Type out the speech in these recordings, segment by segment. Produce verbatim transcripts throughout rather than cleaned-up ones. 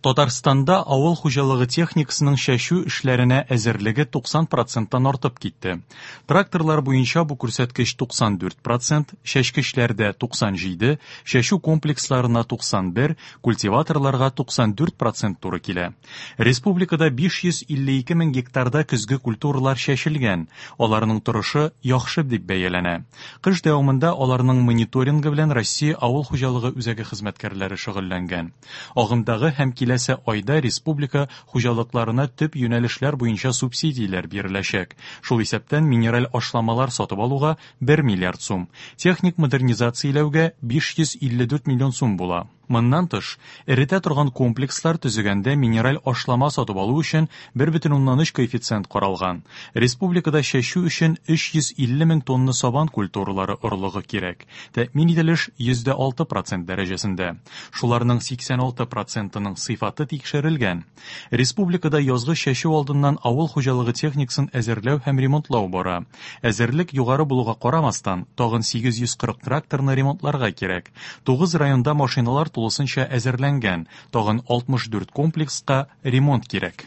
Татарстанда авыл хуҗалыгы техникасының чәчү эшләренә әзерлеге туксан проценттан артып китте. Тракторлар буенча бу күрсәткеч туксан дүрт процент, чәчкечләрдә туксан җиде, чәчү комплексларына туксан бер, культиваторларга туксан дүрт процент туры килә. Республикада биш йөз илле ике мең гектарда көзге культуралар чәчелгән, аларның торышы яхшы дип бәяләнә. Кыш дәвамында аларның мониторингы белән Россия авыл хуҗалыгы үзәге хезмәткәрләре шөгыльләнгән. Агымдагы һәм киләсе айда республика хуҗалыкларына төп юнәлешләр буенча субсидияләр биреләчәк. Шул исәптән минераль ашламалар сатып алуга бер миллиард сум, техник модернизацияләүгә биш йөз илле дүрт миллион сум була. Моннан тыш, эретә торган комплекслар төзегәндә минераль ашлама сатып алу өчен бер бөтен уннан өч коэффициент каралган. Республикада чәчү өчен өч йөз илле мең тонна сабан культуралары орлыгы кирәк. Тәэмин ителеш йөз дә алты процент дәрәҗәсендә. Шуларның сиксән алты процентының сыйфаты тикшерелгән. Республикада язгы чәчү алдыннан авыл хуҗалыгы техникасын әзерләү һәм ремонтлау бара. Әзерлек югары булуга карамастан, тагын сигез йөз кырык тракторны ремонтларга кирәк. Тугыз районда машиналар тулысынча әзерләнгән, тагын алтмыш дүрт комплекска ремонт кирәк.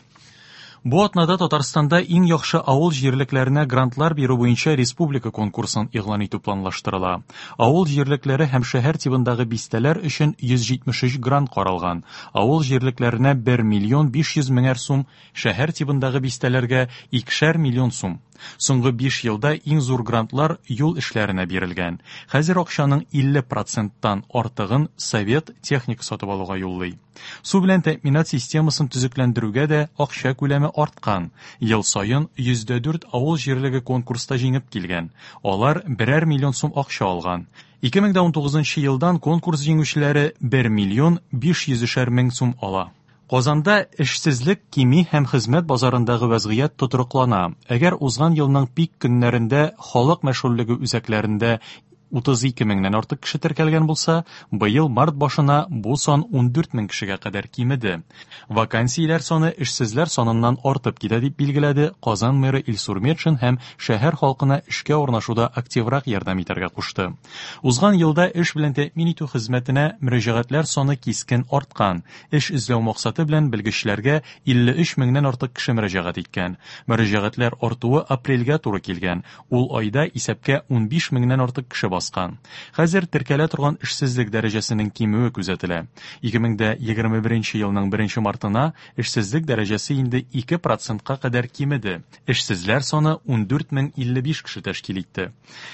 Бу атнада Татарстанда иң яхшы авыл җирлекләренә грантлар бирү буенча республика конкурсын игълан итү планлаштырыла. Авыл җирлекләре һәм шәһәр тибындагы бистәләр өчен йөз җитмеш өч грант каралган. Авыл җирлекләренә бер миллион биш йөз меңәр сум, шәһәр тибындагы бистәләргә икешәр миллион сум. Соңгы биш елда иң зур грантлар юл эшләренә бирелгән. Хәзер акчаның илле проценттан артыгын совет техника сатып алуга юллый. Су белән тәэминат системасын төзекләндерүгә дә акча күләме арткан. Ел саен йөз дә дүрт авыл җирлеге конкурста җиңеп килгән. Алар берәр миллион сум акча алган. Ике мең дә унтугызынчы елдан конкурс җиңүчеләре бер миллион биш йөзешәр мең сум ала. Казанда эшсезлек кими һәм хезмәт базарындагы вәзгыять тотрыклана. Әгәр узган елның пик көннәрендә халык мәшгульлеге үзәкләрендә утыз ике меңнән артык кеше теркәлгән булса, быел март башына бу сан ундүрт мең кешегә кадәр кимеде. Вакансияләр саны эшсезләр саныннан артып китә дип билгеләде Казан мэры Илсур Метшин һәм шәһәр халкына эшкә урнашуда активрак ярдәм итәргә кушты. Узган елда эш белән тәэмин итү хезмәтенә мөрәҗәгатьләр саны кискен арткан. Эш эзләү максаты белән белгечләргә илле өч меңнән артык кеше мөрәҗәгать иткән. Мөрәҗәгатьләр артуы апрельгә туры килгән. Ул айда исәпкә унбиш меңнән артык кеше баскан. Хәзер теркәлә торган эшсезлек дәрәҗәсенең кимүе күзәтелә. Ике мең дә егерме беренче елның беренче мартына эшсезлек дәрәҗәсе инде ике процентка кадәр кимеде. Эшсезләр саны ундүрт мең илле биш кеше тәшкил итте.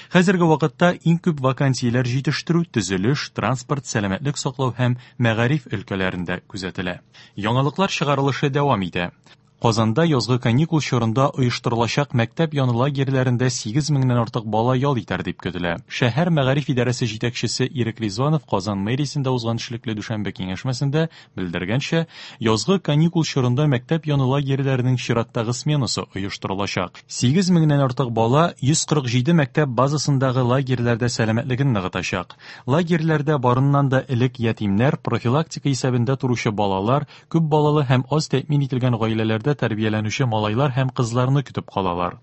Хәзерге вакытта иң күп вакансияләр җитештерү, төзелеш, транспорт, сәламәтлек саклау һәм мәгариф өлкәләрендә күзәтелә. Яңалыклар чыгарылышы дәвам итә. Казанда язгы каникул чорында оештырылачак мәктәп яны лагерьләрендә сигез меңнән артык бала ял итәр дип көтелә. Шәһәр мәгариф идарәсе җитәкчесе Ирек Ризванов Казан мэриясендә узган эшлекле дүшәмбе киңәшмәсендә белдергәнчә, язгы каникул чорында мәктәп яны лагерьләренең чираттагы сменасы оештырылачак. Сигез меңнән артык бала йөз кырык җиде мәктәп базасындагы лагерьләрдә сәламәтлеген ныгытачак. Лагерьләрдә барыннан да элек ятимнәр, профилактика исәбендә торучы балалар, күп балалы һәм аз тәэмин ителгән гаиләләрдә тәрбияләнүче малайлар һәм кызларны көтеп калалар.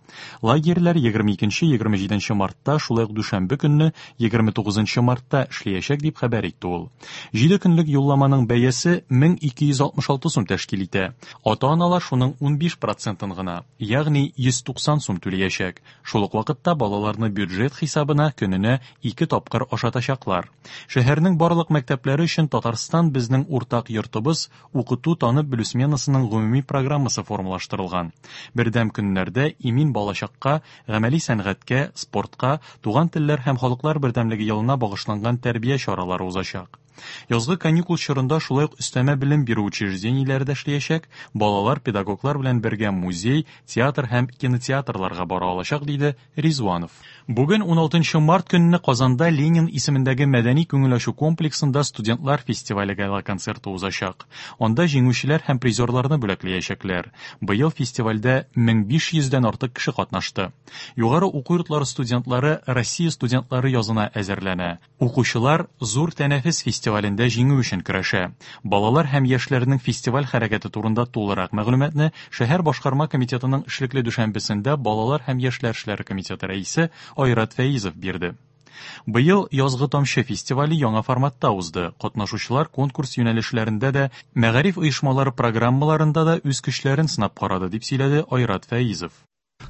Лагерьләр егерме икенче, егерме җиденче мартта, шулай ук дүшәмбе көнне егерме тугызынчы мартта эшләячәк дип хәбәр итте ул. Җиде көнлек юлламаның бәясе мең ике йөз алтмыш алты сум тәшкил итә. Ата-аналар шуның унбиш процентын гына, ягъни йөз туксан сум түләячәк. Шул ук вакытта балаларны бюджет хисабына көненә ике тапкыр ашатачаклар. Шәһәрнең барлык мәктәпләре өчен Татарстан безнең уртак йортыбыз укыту танып белү сменасының гомуми программасы формалаштырылган. Бердәм көннәрдә имин балачакка, гамәли сәнгатькә, спортка, туган телләр һәм халыклар бердәмлеге елына багышланган тәрбия чаралары узачак. Язгы каникул чорында шулай ук өстәмә белем бирү учреждениеләре дә эшләячәк, балалар педагоглар белән бергә музей, театр һәм кинотеатрларга бара алачак, диде Ризванов. Бүген уналтынчы март көнне Казанда Ленин исемендәге мәдәни күңел ачу комплексында студентлар фестивале гала-концерты узачак. Анда җиңүчеләр һәм призерларны бүләкләячәкләр. Быел фестивальдә мең биш йөздән артык кеше катнашты. Югары уку йортлары студентлары Россия студентлары язына әзерләнә. Укучылар зур тәнәфес фестивалендә җиңү өчен көрәшә. Балалар һәм яшьләрнең фестиваль хәрәкәте турында тулырак мәгълүматны шәһәр башкарма комитетының эшлекле дүшәмбесендә Балалар һәм яшьләр эшләре комитеты рәисе Айрат Фәизов бирде. Быел «Язгы тамчы» фестивале яңа форматта узды. Катнашучылар конкурс юнәлешләрендә дә, мәгариф оешмалары программаларында да үз көчләрен сынап карады, дип сөйләде Айрат Фәизов.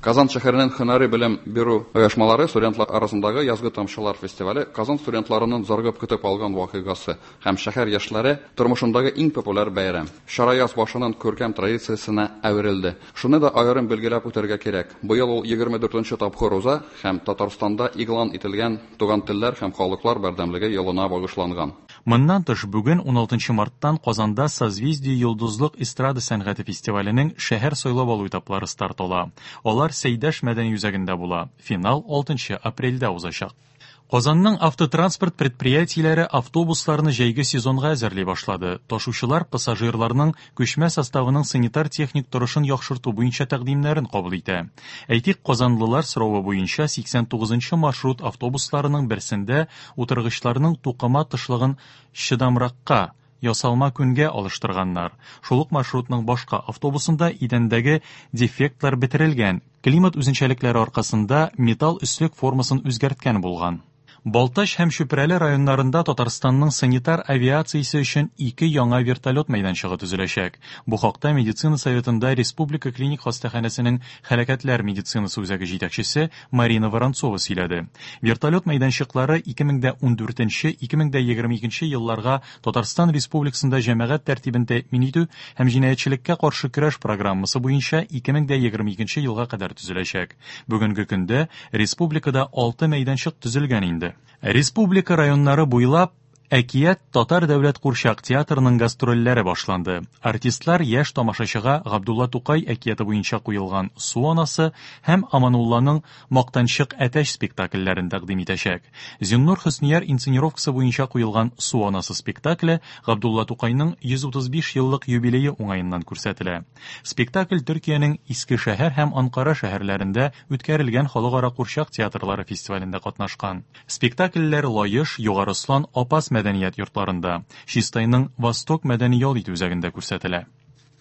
Казан шәһәренең һөнәри белем бирү оешмалары студентлар арасындагы «Язгы тамчылар» фестивале Казан студентларының зарыгып көтеп алган вакыйгасы һәм шәһәр яшьләре тормышындагы иң популяр бәйрәм. Чара яз башының күркәм традициясенә әверелде. Шуны да аерым билгеләп үтәргә кирәк. Быел ул егерме дүртенче тапкыр уза һәм Татарстанда игълан ителгән Туган телләр һәм халыклар бердәмлеге елына багышланган. Моннан тыш, бүген уналтынчы марттан Казанда «Созвездие йолдызлык» эстрада сәнгате фестиваленең шәһәр сайлап алу этаплары старт ала. Алар Сәйдәш мәдәни үзәгендә була. Финал алтынчы апрельдә узачак. Казанның автотранспорт предприятиеләре автобусларны җәйге сезонга әзерли башлады. Ташучылар пассажирларның күчмә составының санитар-техник торышын яхшырту буенча тәкъдимнәрен кабул итә. Әйтик, казанлылар соравы буенча сиксән тугызынчы маршрут автобусларының берсендә утыргычларның тукыма тышлыгын чыдамракка, ясалма күнгә алыштырганнар. Шул ук маршрутның башка автобусында идәндәге дефектлар бетерелгән, климат үзенчәлекләре аркасында металл өслек формасын үзгәрткән булган. Балтач һәм Чүпрәле районнарында Татарстанның санитар авиациясе өчен ике яңа вертолет мәйданчыгы төзеләчәк. Бу хакта медицина советында Республика клиник хастаханәсенең хәрәкәтләр медицинасы үзәге җитәкчесе Марина Воронцова сөйләде. Вертолет мәйданчыклары ике мең дә ундүртенче, ике мең дә егерме икенче елларга Татарстан Республикасында җәмәгать тәртибен тәэмин итү һәм җинаятьчелеккә каршы көрәш программасы буенча ике мең дә егерме икенче елга кадәр төзеләчәк. Бүгенге көндә республикада алты мәйданчык төзелгән инде. Республика районнары буйлап Әкият Татар дәүләт курчак театрының гастрольләре башланды. Артистлар яшь тамашачыга Габдулла Тукай әкияте буенча куелган Су анасы һәм Аманулланың Мактанчык әтәч спектакльләрен тәкъдим итәчәк. Зиннур Хөснияр инсценировкасы буенча куелган Су анасы спектакле Габдулла Тукайның йөз утыз биш еллык юбилее уңаеннан күрсәтелә. Спектакль Төркиянең Иске шәһәр һәм Анкара шәһәрләрендә үткәрелгән халыкара курчак театрлары фестивалендә катнашкан. Спектакльләр Лаеш, Югары Ослан, Апас мәдәният йортларында, Чистайның Восток мәдәни ял итү үзәгендә күрсәтелә.